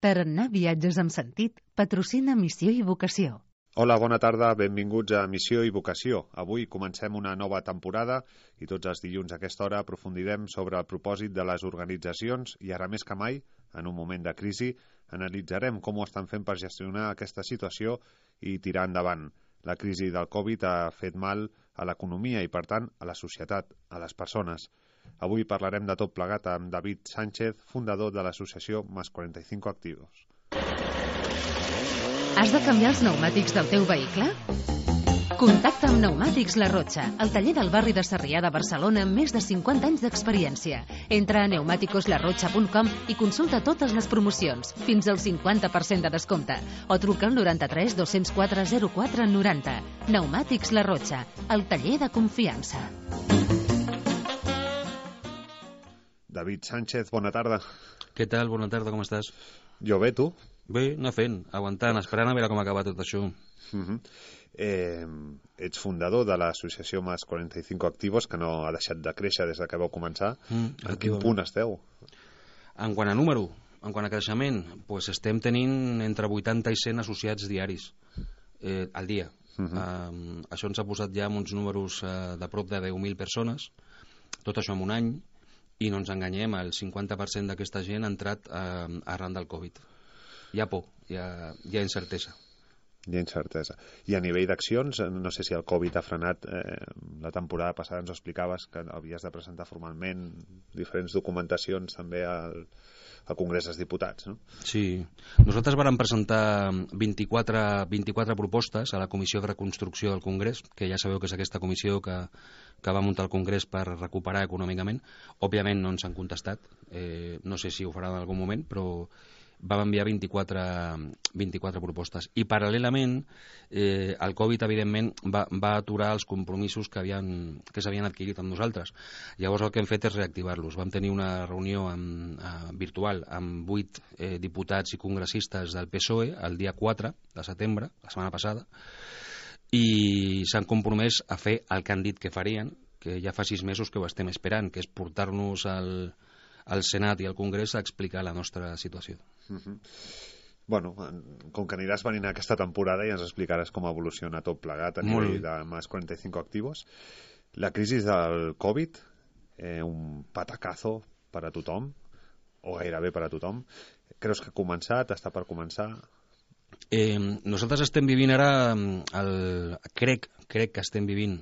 Tarannà Viatges amb Sentit patrocina Missió i Vocació. Hola, bona tarda, benvinguts a Missió i Vocació. Avui comencem una nova temporada i tots els dilluns a aquesta hora aprofundirem sobre el propòsit de les organitzacions i ara més que mai, en un moment de crisi, analitzarem com ho estan fent per gestionar aquesta situació i tirar endavant. La crisi del Covid ha fet mal a l'economia i, per tant, a la societat, a les persones. Avui parlarem de tot plegat amb David Sánchez, fundador de l'associació Más 45 Activos. Has de canviar els pneumàtics del teu vehicle? Contacta amb Pneumàtics La Rotxa, el taller del barri de Sarrià de Barcelona amb més de 50 anys d'experiència. Entra a pneumaticoslarrotxa.com i consulta totes les promocions, fins al 50% de descompte, o truca al 93 204 04 90. Pneumàtics La Rotxa, el taller de confiança. David Sánchez, bona tarda. Què tal? Bona tarda, com estàs? Jo bé, tu? Bé, anar fent, aguantant, esperant a veure com acaba tot això. Ets fundador de l'associació Más 45 Activos, que no ha deixat de créixer des que vau començar. En quin punt esteu? En quant a número, en quant a creixement, doncs estem tenint entre 80 i 100 associats diaris al dia. Això ens ha posat ja amb uns números de prop de 10.000 persones, tot això en un any, i no ens enganyem, el 50% d'aquesta gent ha entrat arran del Covid. Hi ha por, hi ha incertesa. Hi ha incertesa. I a nivell d'accions, no sé si el Covid ha frenat, la temporada passada ens ho explicaves, que havies de presentar formalment diferents documentacions també al Congrés dels Diputats, no? Sí. Nosaltres vàrem presentar 24 propostes a la Comissió de Reconstrucció del Congrés, que ja sabeu que és aquesta comissió que va muntar el Congrés per recuperar econòmicament. Òbviament no ens han contestat, no sé si ho faran en algun moment, però vam enviar 24 propostes. I paral·lelament, el Covid, evidentment, va aturar els compromisos que s'havien adquirit amb nosaltres. Llavors el que hem fet és reactivar-los. Vam tenir una reunió virtual amb 8 diputats i congressistes del PSOE el dia 4 de setembre, la setmana passada, i s'han compromès a fer el que han dit que farien, que ja fa 6 mesos que ho estem esperant, que és portar-nos al Senat i al Congrés a explicar la nostra situació. Bueno, com que aniràs venint aquesta temporada i ens explicaràs com evoluciona tot plegat a nivell de Más 45 Activos. La crisi del Covid, un patacazo per a tothom, o gairebé per a tothom. Creus que ha començat? Està per començar? Nosaltres estem vivint ara, crec que estem vivint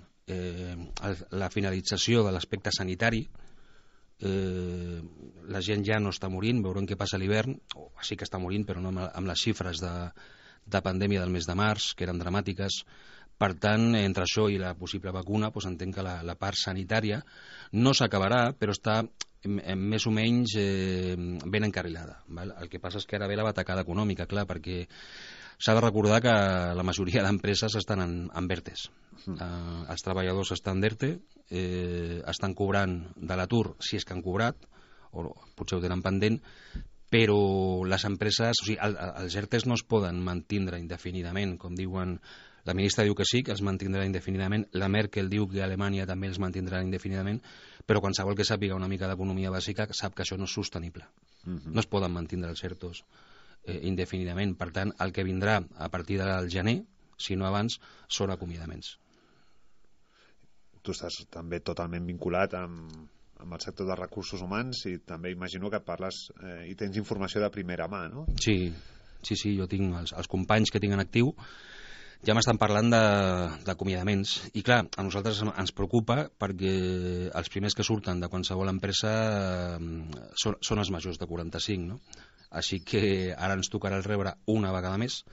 la finalització de l'aspecte sanitari. La gent ja no està morint, veurem què passa a l'hivern, o sí que està morint, però no amb les xifres de pandèmia del mes de març, que eren dramàtiques. Per tant, entre això i la possible vacuna, doncs entenc que la part sanitària no s'acabarà, però està més o menys ben encarrilada. El que passa és que ara ve la batacada econòmica, clar, perquè s'ha de recordar que la majoria d'empreses estan en ERTEs. Els treballadors estan d'ERTE, estan cobrant de l'atur, si és que han cobrat, o potser ho tenen pendent, però les empreses, o sigui, els ERTEs no es poden mantindre indefinidament, com diuen. La ministra diu que sí, que es mantindrà indefinidament, la Merkel diu que a Alemanya també els mantindrà indefinidament, però qualsevol que sàpiga una mica d'economia bàsica sap que això no és sostenible. No es poden mantindre els ERTOs indefinidament. Per tant, el que vindrà a partir del gener, si no abans, són acomiadaments. Tu estàs també totalment vinculat amb el sector de recursos humans i també imagino que parles i tens informació de primera mà, no? Sí, jo tinc els companys que tinc en actiu, ja m'estan parlant d'acomiadaments. I clar, a nosaltres ens preocupa perquè els primers que surten de qualsevol empresa són els majors de 45, no? Així que ara ens tocarà el rebre una vegada més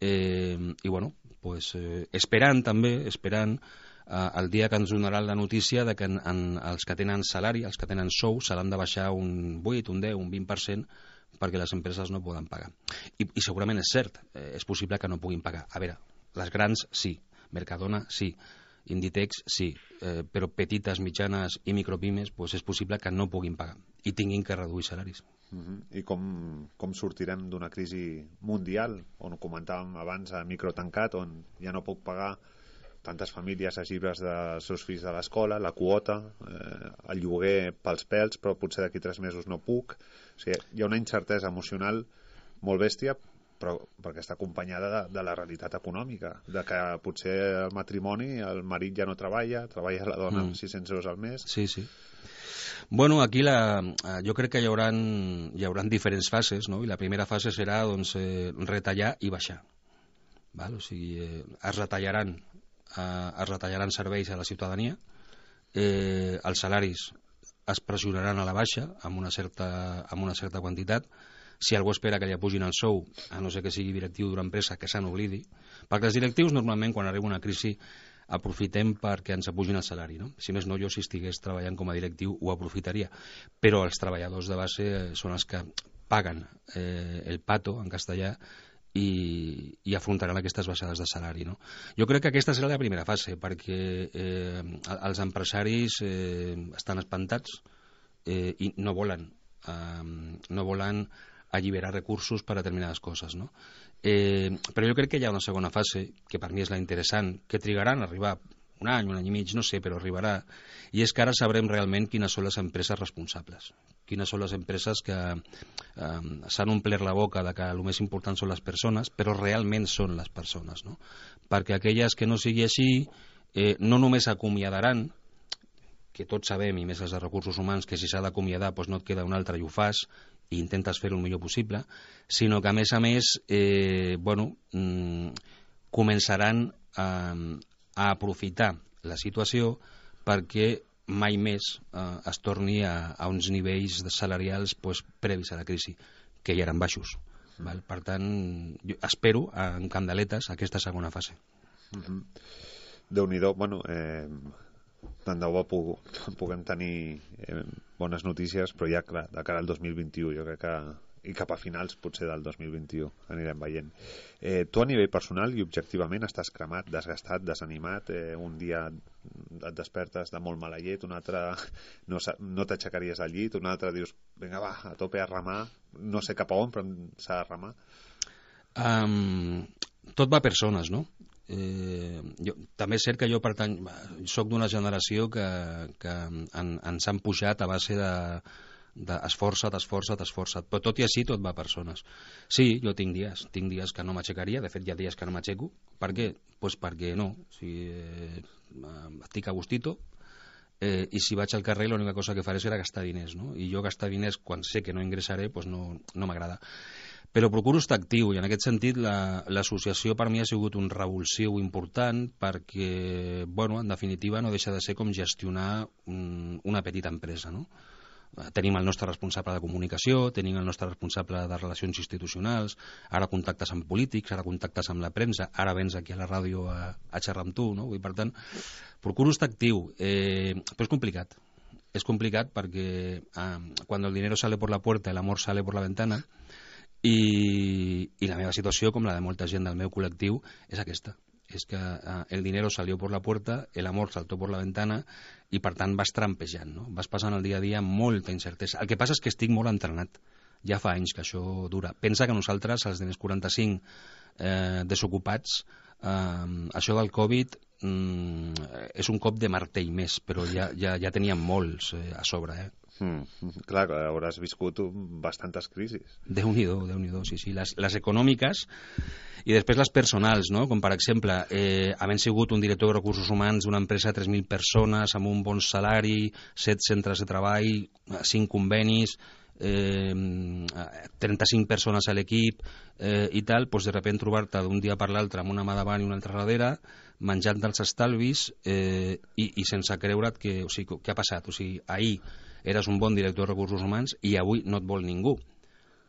i bueno, pues, esperant el dia que ens donaran la notícia de que els que tenen salari, els que tenen sou, se l'han de baixar un 8, un 10, un 20% perquè les empreses no poden pagar. I segurament és cert, és possible que no puguin pagar. A veure, les grans sí, Mercadona sí, Inditex sí, però petites, mitjanes i micropimes doncs és possible que no puguin pagar i tinguin que reduir salaris. I com sortirem d'una crisi mundial, on ho comentàvem abans, a microtancat, on ja no puc pagar tantes famílies els llibres dels seus fills de l'escola, la quota, el lloguer pels pèls, però potser d'aquí 3 mesos no puc. O sigui, hi ha una incertesa emocional molt bèstia, però perquè està acompanyada de la realitat econòmica, de que potser el matrimoni, el marit ja no treballa la dona amb 600 euros al mes. Sí, sí. Bueno, aquí jo crec que hi hauran diferents fases, no? I la primera fase serà doncs, retallar i baixar. Val? O sigui, es retallaran serveis a la ciutadania, els salaris es pressionaran a la baixa amb una certa quantitat. Si algú espera que li pugin el sou, a no ser que sigui directiu d'una empresa, que se n'oblidi, perquè els directius normalment quan arriba una crisi aprofitem perquè ens apugin el salari, no? Si més no, jo si estigués treballant com a directiu ho aprofitaria, però els treballadors de base són els que paguen el pato en castellà i afrontaran aquestes baixades de salari, no? Jo crec que aquesta serà la primera fase, perquè els empresaris estan espantats i no volen alliberar recursos per a determinades coses, no? Però jo crec que hi ha una segona fase, que per mi és la interessant, que trigaran a arribar un any i mig, no sé, però arribarà, i és que ara sabrem realment quines són les empreses responsables, quines són les empreses que s'han omplert la boca de que el més important són les persones, però realment són les persones, no? Perquè aquelles que no sigui així no només acomiadaran, que tots sabem, i més els de recursos humans, que si s'ha d'acomiadar doncs no et queda un altre i ho fas, i intentes fer-ho el millor possible, sinó que a més començaran a aprofitar la situació perquè mai més es torni a uns nivells salarials previs a la crisi, que ja eren baixos. Val? Per tant, jo espero en candeletes aquesta segona fase. Déu-n'hi-do. Bueno, tant de bo puguem tenir bones notícies, però ja clar, de cara al 2021 jo crec que, i cap a finals potser del 2021 anirem veient. Tu a nivell personal i objectivament estàs cremat, desgastat, desanimat, un dia et despertes de molt mala llet, un altre no t'aixecaries al llit, un altre dius vinga va, a tope a remar, no sé cap a on però s'ha de remar. Tot va a persones, no? També és cert que jo soc d'una generació que ens han pujat a base d'esforça't, però tot i així tot va a persones. Sí, jo tinc dies que no m'aixecaria, de fet hi ha dies que no m'aixeco. Per què? Doncs perquè no, estic a gustito, i si vaig al carrer l'única cosa que faré serà gastar diners, no? I jo gastar diners quan sé que no ingressaré doncs no m'agrada. Però procuro estar actiu, i en aquest sentit l'associació per mi ha sigut un revulsiu important perquè, bueno, en definitiva no deixa de ser com gestionar una petita empresa, no? Tenim el nostre responsable de comunicació, tenim el nostre responsable de relacions institucionals, ara contactes amb polítics, ara contactes amb la premsa, ara vens aquí a la ràdio a xerrar amb tu, no? I per tant, procuro estar actiu, però és complicat. Es complicat perquè quan el dinero sale por la puerta, el amor sale por la ventana, i la meva situació, com la de molta gent del meu col·lectiu, és aquesta. És que el dinero salió por la puerta, el amor saltó por la ventana, i per tant vas trampejant, no? Vas passant el dia a dia amb molta incertesa. El que passa és que estic molt entrenat. Ja fa anys que això dura. Pensa que nosaltres, els diners 45 desocupats, això del Covid és un cop de martell més, però ja teníem molts a sobre, Clar, hauràs viscut bastantes crisis. Déu-n'hi-do, sí. Les econòmiques i després les personals, no? Com per exemple, havent sigut un director de recursos humans d'una empresa de 3.000 persones amb un bon salari, 7 centres de treball, 5 convenis, 35 persones a l'equip i tal, doncs de sobte trobar-te d'un dia per l'altre amb una mà davant i una altra darrere, menjant dels estalvis i sense creure't què ha passat. O sigui, ahir eres un bon director de recursos humans i avui no et vol ningú.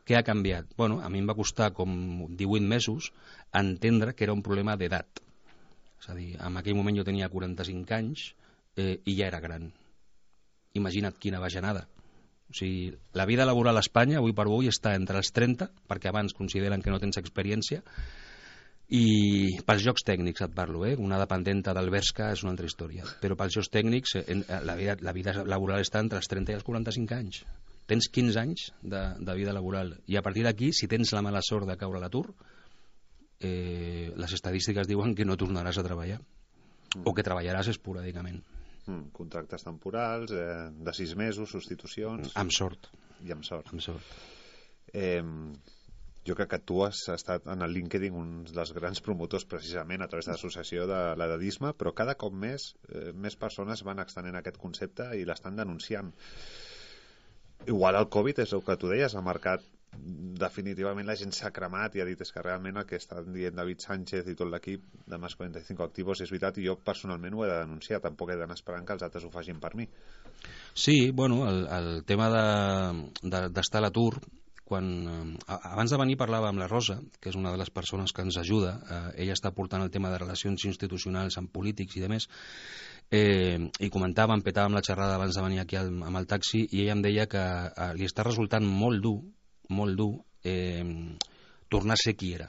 Què ha canviat? Bueno, a mi em va costar com 18 mesos entendre que era un problema d'edat. És a dir, en aquell moment jo tenia 45 anys i ja era gran. Imagina't quina bajanada. O sigui, la vida laboral a Espanya, avui per avui, està entre els 30, perquè abans consideren que no tens experiència, i pels jocs tècnics et parlo, una dependenta del Bershka és una altra història, però pels jocs tècnics la vida laboral està entre els 30 i els 45 anys. Tens 15 anys de vida laboral, i a partir d'aquí, si tens la mala sort de caure a l'atur, les estadístiques diuen que no tornaràs a treballar, o que treballaràs esporàdicament. Contractes temporals, de 6 mesos, substitucions... Amb sort. I amb sort. Amb sort. Jo crec que tu has estat en el LinkedIn un dels grans promotors precisament a través de l'associació de l'edadisme, però cada cop més persones van extenent aquest concepte i l'estan denunciant. Igual el Covid és el que tu deies, ha marcat definitivament, la gent s'ha cremat i ha dit és que realment el que estan dient David Sánchez i tot l'equip de Más 45 Activos és veritat, i jo personalment ho he de denunciar, tampoc he d'anar esperant que els altres ho facin per mi. Sí, bueno, el tema d'estar a l'atur, abans de venir parlava amb la Rosa, que és una de les persones que ens ajuda, ella està portant el tema de relacions institucionals amb polítics i demés, i comentàvem, petàvem la xerrada abans de venir aquí amb el taxi, i ella em deia que li està resultant molt dur tornar a ser qui era.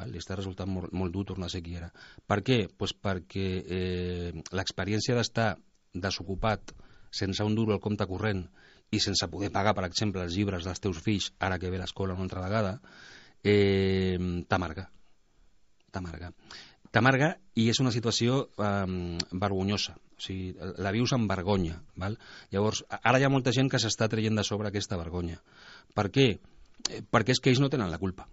Li està resultant molt dur tornar a ser qui era. Per què? Pues perquè l'experiència d'estar desocupat, sense un duro al compte corrent i sense poder pagar, per exemple, els llibres dels teus fills, ara que ve l'escola una altra vegada, t'amarga. T'amarga i és una situació vergonyosa. O sigui, la vius amb vergonya. Val? Llavors, ara hi ha molta gent que s'està traient de sobre aquesta vergonya. Per què? Perquè és que ells no tenen la culpa.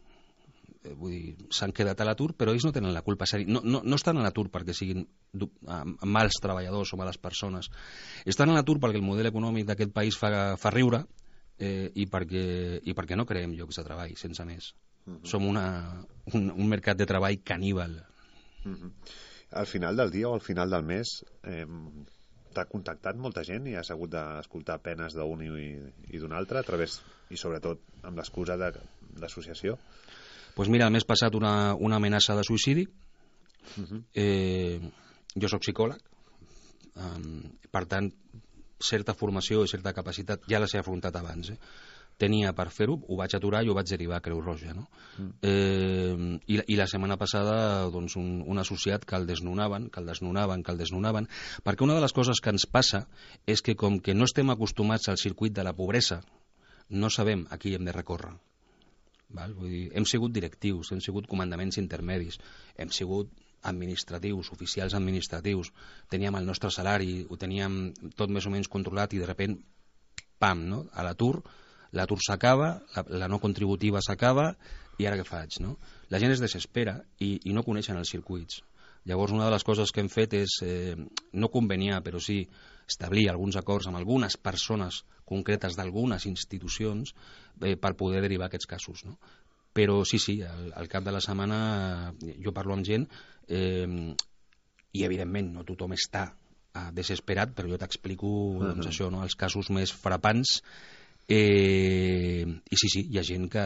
Vull dir, s'han quedat a l'atur, però ells no tenen la culpa. No estan a l'atur perquè siguin mals treballadors o males persones. Estan a l'atur perquè el model econòmic d'aquest país fa riure i perquè no creem llocs de treball, sense més. Som un mercat de treball caníbal. Al final del dia o al final del mes t'ha contactat molta gent i has hagut d'escoltar penes d'un i d'un altre a través, i sobretot amb l'excusa d'associació? Pues mira, el mes passat una amenaça de suïcidi. Jo soc psicòleg, per tant, certa formació i certa capacitat ja les he afrontat abans. Tenia per fer-ho, ho vaig aturar i ho vaig derivar a Creu Roja. No? I la setmana passada doncs, un associat que el desnonaven, perquè una de les coses que ens passa és que com que no estem acostumats al circuit de la pobresa, no sabem a qui hem de recórrer. Val? Vull dir, hem sigut directius, hem sigut comandaments intermedis, hem sigut administratius, oficials administratius, teníem el nostre salari, ho teníem tot més o menys controlat i de sobte, pam, no? A l'atur s'acaba, la no contributiva s'acaba i ara què faig? No? La gent es desespera i no coneixen els circuits. Llavors una de les coses que hem fet és no conveniar, però sí establir alguns acords amb algunes persones concretes d'algunes institucions per poder derivar aquests casos. No? Però sí, al cap de la setmana jo parlo amb gent i evidentment no tothom està desesperat, però jo t'explico doncs, això, no? Els casos més frapants i sí, hi ha gent que,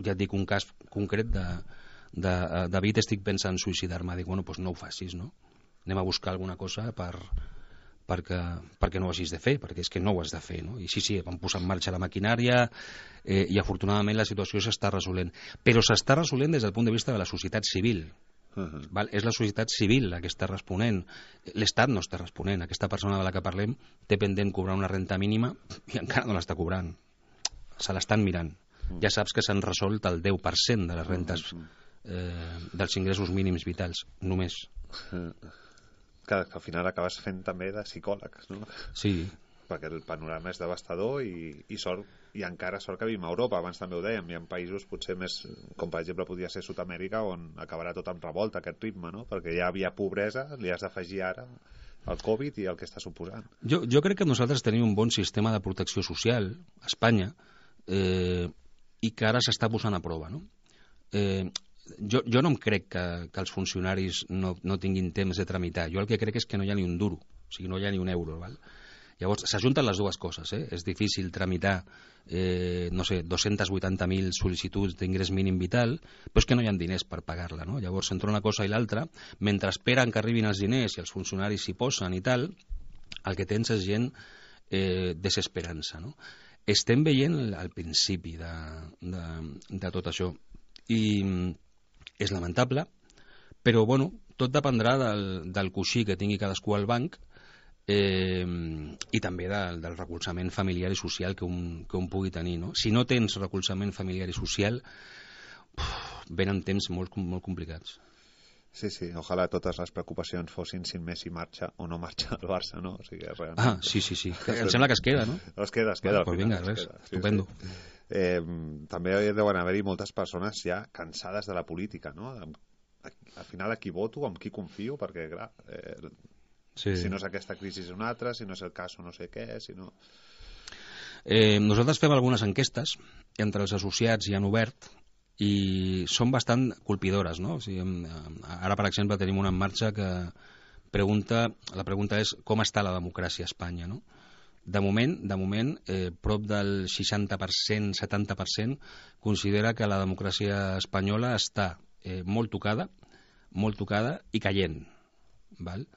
ja et dic un cas concret de David, estic pensant en suïcidar-me, dic, bueno, doncs no ho facis, no? Anem a buscar alguna cosa perquè no ho hagis de fer, perquè és que no ho has de fer, no? I sí, vam posar en marxa la maquinària i afortunadament la situació s'està resolent, però s'està resolent des del punt de vista de la societat civil. Val? És la societat civil la que està responent, l'Estat no està responent. Aquesta persona de la que parlem té pendent cobrar una renta mínima i encara no l'està cobrant, se l'estan mirant. Ja saps que s'han resolt el 10% de les rentes dels ingressos mínims vitals, només. Que al final acabes fent també de psicòleg, no? Sí. Perquè el panorama és devastador i sort, i encara sort que vivim a Europa, abans també ho dèiem, hi ha països potser més, com per exemple podria ser Sud-amèrica, on acabarà tot amb revolta aquest ritme, no? Perquè ja havia pobresa, li has d'afegir ara el Covid i el que està suposant. Jo crec que nosaltres tenim un bon sistema de protecció social a Espanya i que ara s'està posant a prova, no? Jo no em crec que els funcionaris no tinguin temps de tramitar. Jo el que crec és que no hi ha ni un duro, o sigui, no hi ha ni un euro, val? Llavors, s'ajunten les dues coses, És difícil tramitar, 280.000 sol·licituds d'ingrés mínim vital, però és que no hi ha diners per pagar-la, no? Llavors, entre una cosa i l'altra, mentre esperen que arribin els diners i els funcionaris s'hi posen i tal, el que tens és gent desesperança, no? Estem veient el principi de tot això i és lamentable, però, bueno, tot dependrà del coixí que tingui cadascú al banc i també del recolzament familiar i social que un pugui tenir, no? Si no tens recolzament familiar i social, venen temps molt complicats. Sí, sí, ojalà totes les preocupacions fossin si Messi marxa o no marxa al Barça, no? O sigui, realment... Sí. Em sembla que es queda, no? Es queda. Pues vinga, res, estupendo. També deuen haver-hi moltes persones ja cansades de la política, no? Al final a qui voto, amb qui confio, perquè, clar, si no és aquesta crisi és una altra, si no és el cas o no sé què, si no... Nosaltres fem algunes enquestes entre els associats i han obert i són bastant colpidores, no? O sigui, ara, per exemple, tenim una en marxa que la pregunta és com està la democràcia a Espanya, no? De moment, prop del 60%, 70% considera que la democràcia espanyola està molt tocada i caient, val?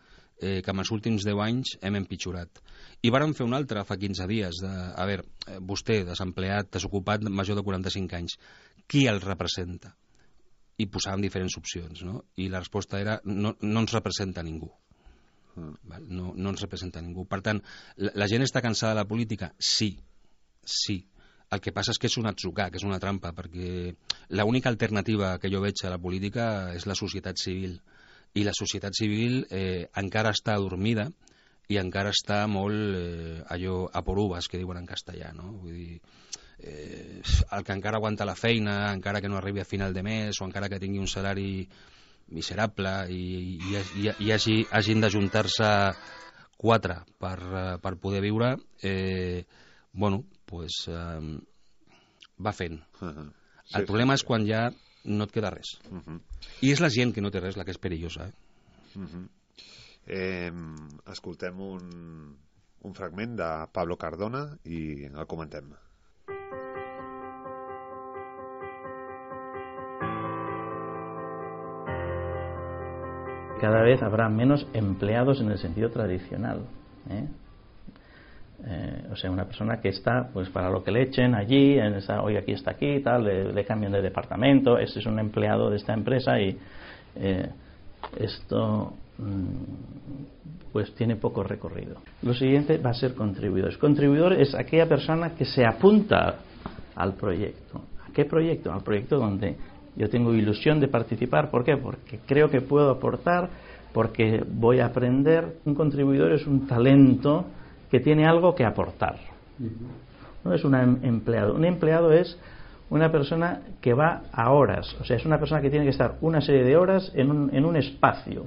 Que en els últims 10 anys hem empitjorat. I vàrem fer una altra fa 15 dies a veure, vostè, desempleat, desocupat, major de 45 anys, qui el representa? I posàvem diferents opcions, no? I la resposta era no ens representa ningú. No ens representa ningú. Per tant, la gent està cansada de la política? Sí. El que passa és que és un atzucac, és una trampa, perquè l'única alternativa que jo veig a la política és la societat civil. I la societat civil encara està adormida i encara està molt allò a por uvas, que diuen en castellà, no? Vull dir, el que encara aguanta la feina, encara que no arribi a final de mes o encara que tingui un salari miserable i hagin d'ajuntar-se 4 per poder viure, bueno, pues va fent. El problema és quan ja no et queda res. I és la gent que no té res la que és perillosa. Escoltem un fragment de Pablo Cardona i el comentem. Cada vez habrá menos empleados en el sentido tradicional, o sea, una persona que está pues para lo que le echen allí, hoy aquí está aquí, tal, le cambian de departamento, este es un empleado de esta empresa y esto pues tiene poco recorrido. Lo siguiente va a ser contribuidores. Contribuidor es aquella persona que se apunta al proyecto. ¿A qué proyecto? Al proyecto donde yo tengo ilusión de participar. ¿Por qué? Porque creo que puedo aportar, porque voy a aprender. Un contribuidor es un talento que tiene algo que aportar. No es un empleado. Un empleado es una persona que va a horas. O sea, es una persona que tiene que estar una serie de horas en un espacio.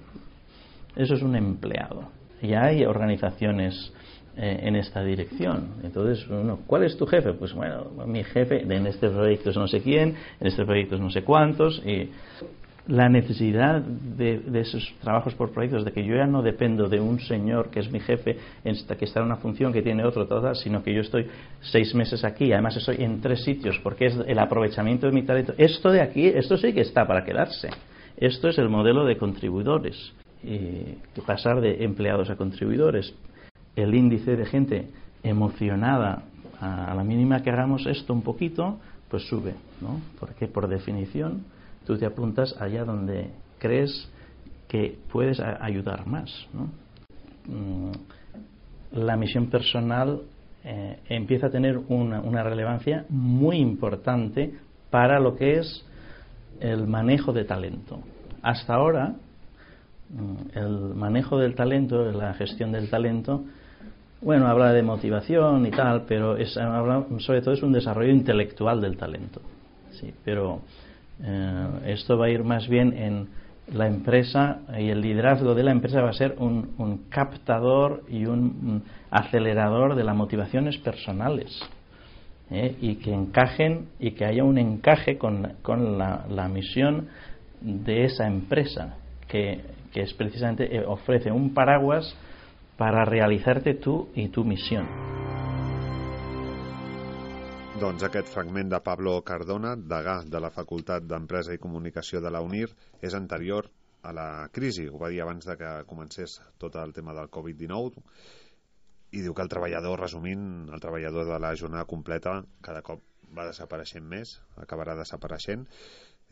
Eso es un empleado. Ya hay organizaciones en esta dirección. Entonces, ¿cuál es tu jefe? Pues bueno, mi jefe en este proyecto es no sé quién, en este proyecto es no sé cuántos. Y la necesidad de esos trabajos por proyectos, de que yo ya no dependo de un señor que es mi jefe, que está en una función que tiene otro, sino que yo estoy 6 meses aquí, además estoy en 3 sitios, porque es el aprovechamiento de mi talento. Esto de aquí, esto sí que está para quedarse. Esto es el modelo de contribuidores. Y pasar de empleados a contribuidores, el índice de gente emocionada a la mínima que hagamos esto un poquito, pues sube, ¿no? Porque por definición tú te apuntas allá donde crees que puedes ayudar más, ¿no? La misión personal empieza a tener una relevancia muy importante para lo que es el manejo de talento. Hasta ahora el manejo del talento, la gestión del talento, bueno, habla de motivación y tal, pero sobre todo es un desarrollo intelectual del talento. Sí, pero esto va a ir más bien en la empresa, y el liderazgo de la empresa va a ser un captador y un acelerador de las motivaciones personales, y que encajen, y que haya un encaje con la misión de esa empresa, que es precisamente ofrece un paraguas para realizarte tú y tu misión. Doncs aquest fragment de Pablo Cardona, degà de la Facultat d'Empresa i Comunicació de la UNIR, és anterior a la crisi. Ho va dir abans de que comencés tot el tema del Covid-19, i diu que el treballador, resumint, el treballador de la jornada completa cada cop va desapareixent més, acabarà desapareixent,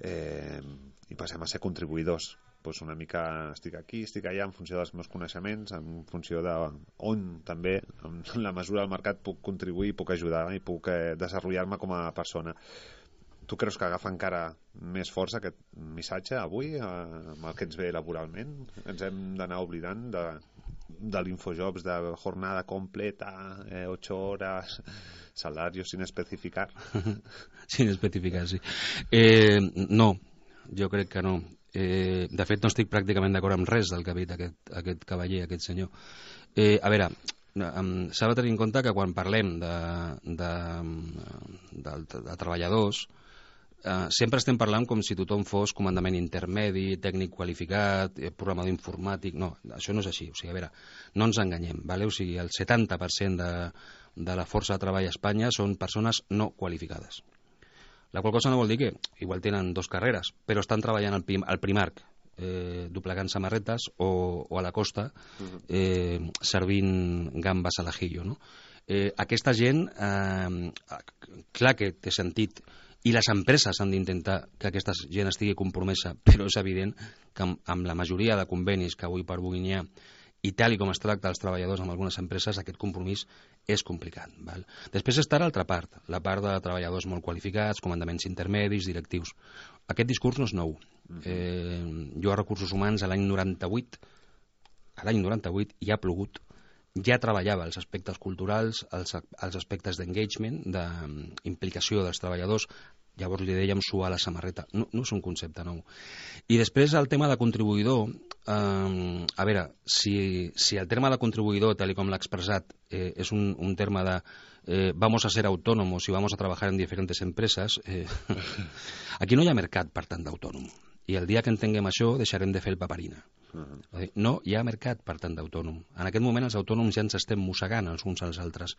i passem a ser contribuïdors. Pues una mica estic aquí, estic allà en funció dels meus coneixements, en funció de on també, en la mesura del mercat, puc contribuir, puc ajudar i puc desenvolupar-me com a persona. Tu creus que agafa encara més força aquest missatge avui, amb el que ens ve laboralment? Ens hem d'anar oblidant de l'Infojobs, de jornada completa, 8 hores, salario sin especificar? Sin especificar, sí. No, jo crec que no. De fet, no estic pràcticament d'acord amb res del que ha dit aquest cavaller, aquest senyor. A veure, s'ha de tenir en compte que quan parlem de treballadors, sempre estem parlant com si tothom fos comandament intermedi, tècnic qualificat, programador informàtic. No, això no és així. O sigui, a veure, no ens enganyem, vale? O sigui, el 70% de la força de treball a Espanya són persones no qualificades. La qual cosa no vol dir que igual tenen 2 carreres, però estan treballant al Primark, doblegant samarretes, o a la costa, servint gambes a l'ajillo, no? Aquesta gent, clar que té sentit, i les empreses han d'intentar que aquesta gent estigui compromesa, però és evident que amb la majoria de convenis que avui per avui n'hi ha, i tal com es tracta els treballadors amb algunes empreses, aquest compromís és complicat. Val? Després està l'altra part, la part de treballadors molt qualificats, comandaments intermedis, directius. Aquest discurs no és nou. Jo a Recursos Humans l'any 98 ja ha plogut, ja treballava els aspectes culturals, els aspectes d'engagement, d'implicació dels treballadors. Llavors li dèiem suar la samarreta. No és un concepte nou. I després el tema de contribuïdor, a veure, si el terme de contribuïdor, tal com l'ha expressat, és un terme de vamos a ser autónomos y vamos a trabajar en diferentes empresas, aquí no hi ha mercat per tant d'autònom. I el dia que entenguem això deixarem de fer el paperina. No hi ha mercat per tant d'autònom. En aquest moment els autònoms ja ens estem mossegant els uns als altres,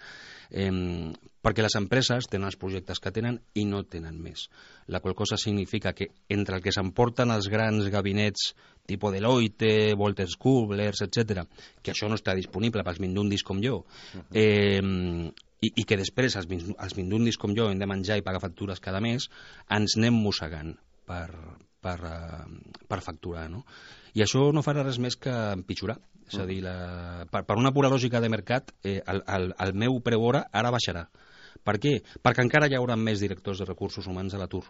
perquè les empreses tenen els projectes que tenen i no tenen més, la qual cosa significa que entre el que s'emporten els grans gabinets tipus Deloitte, Wolters Kluwer, etc., que això no està disponible pels mindundis com jo, i que després els mindundis com jo hem de menjar i pagar factures cada mes, ens anem mossegant per facturar, no? I això no farà res més que empitjorar. És a dir, per una pura lògica de mercat, el meu preu hora ara baixarà. Per què? Perquè encara hi haurà més directors de recursos humans a l'atur.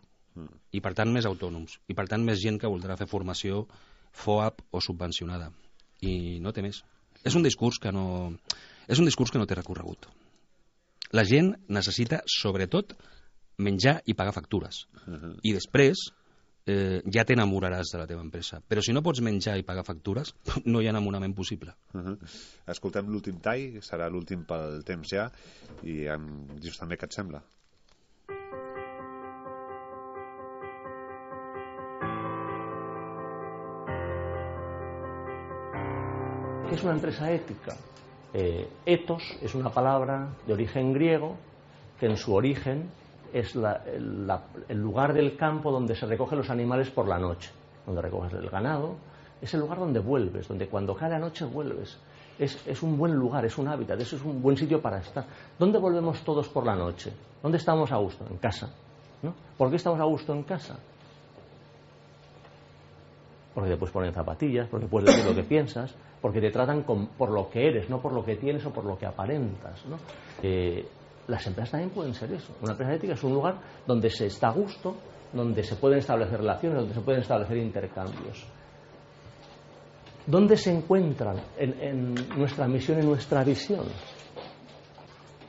I per tant més autònoms. I per tant més gent que voldrà fer formació FOAP o subvencionada. I no té més. És un discurs que no té recorregut. La gent necessita, sobretot, menjar i pagar factures. I després ja t'enamoraràs de la teva empresa. Però si no pots menjar i pagar factures, no hi ha enamorament possible. Escoltem l'últim tall, serà l'últim pel temps ja, i em dius també què et sembla. ¿Qué es una empresa ética? Ethos es una palabra de origen griego que en su origen es el lugar del campo donde se recogen los animales por la noche, donde recoges el ganado. Es el lugar donde vuelves, donde cuando cae la noche vuelves. Es un buen lugar, es un hábitat, es un buen sitio para estar. ¿Dónde volvemos todos por la noche? ¿Dónde estamos a gusto? En casa, ¿no? ¿Por qué estamos a gusto en casa? Porque te puedes poner zapatillas, porque puedes decir lo que piensas, porque te tratan por lo que eres, no por lo que tienes o por lo que aparentas, ¿no? Las empresas también pueden ser eso. Una empresa ética es un lugar donde se está a gusto, donde se pueden establecer relaciones, donde se pueden establecer intercambios. ¿Dónde se encuentran en nuestra misión y nuestra visión?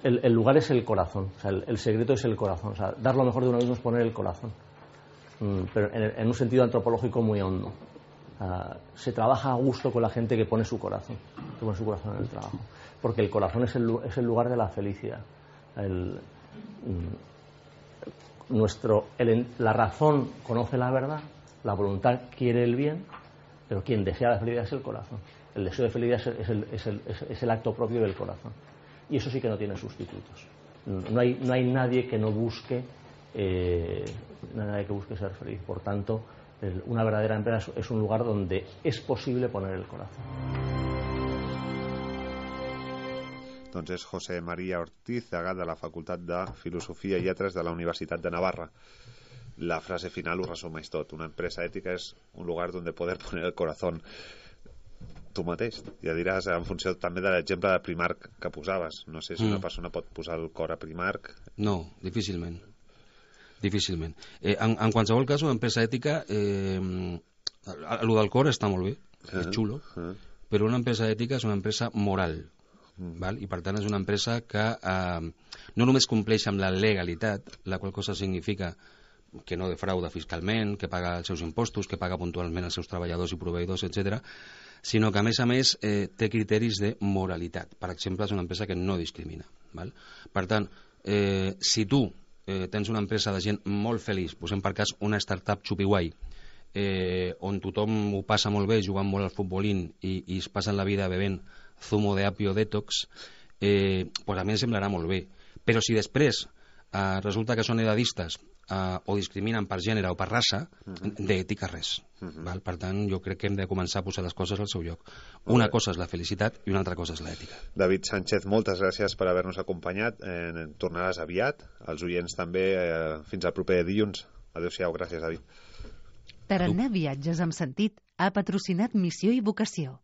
El lugar es el corazón, o sea, el secreto es el corazón. O sea, dar lo mejor de uno mismo es poner el corazón, pero en un sentido antropológico muy hondo. Se trabaja a gusto con la gente que pone su corazón en el trabajo, porque el corazón es el lugar de la felicidad. La razón conoce la verdad, la voluntad quiere el bien, pero quien desea la felicidad es el corazón. El deseo de felicidad es el acto propio del corazón, y eso sí que no tiene sustitutos. No hay nadie que no busque ser feliz. Por tanto, una verdadera empresa es un lugar donde es posible poner el corazón. Doncs és José María Ortiz, degà de la Facultat de Filosofia i Lletres de la Universitat de Navarra. La frase final ho resumeix tot. Una empresa ètica és un lugar donde poder poner el corazón. Tu mateix, ja diràs, en funció també de l'exemple de Primark que posaves. No sé si una persona pot posar el cor a Primark. No, difícilment. Difícilment. En qualsevol cas, una empresa ètica, el del cor està molt bé, és xulo, però una empresa ètica és una empresa moral. Val? I per tant és una empresa que no només compleix amb la legalitat, la qual cosa significa que no defrauda fiscalment, que paga els seus impostos, que paga puntualment els seus treballadors i proveïdors, etc., sinó que a més té criteris de moralitat. Per exemple, és una empresa que no discrimina. Val? Per tant, si tu tens una empresa de gent molt feliç, posem per cas una startup xupiguai, on tothom ho passa molt bé jugant molt al futbolín i es passen la vida bevent zumo de apio detox, pues a mi em semblarà molt bé. Però si després resulta que són edadistes o discriminen per gènere o per raça, d'ètica res. Val? Per tant, jo crec que hem de començar a posar les coses al seu lloc. Una cosa és la felicitat i una altra cosa és l'ètica. David Sánchez, moltes gràcies per haver-nos acompanyat. Tornaràs aviat. Els oients també. Fins al proper dilluns. Adéu-siau. Gràcies, David. Tarannà Viatges amb Sentit ha patrocinat Missió i Vocació.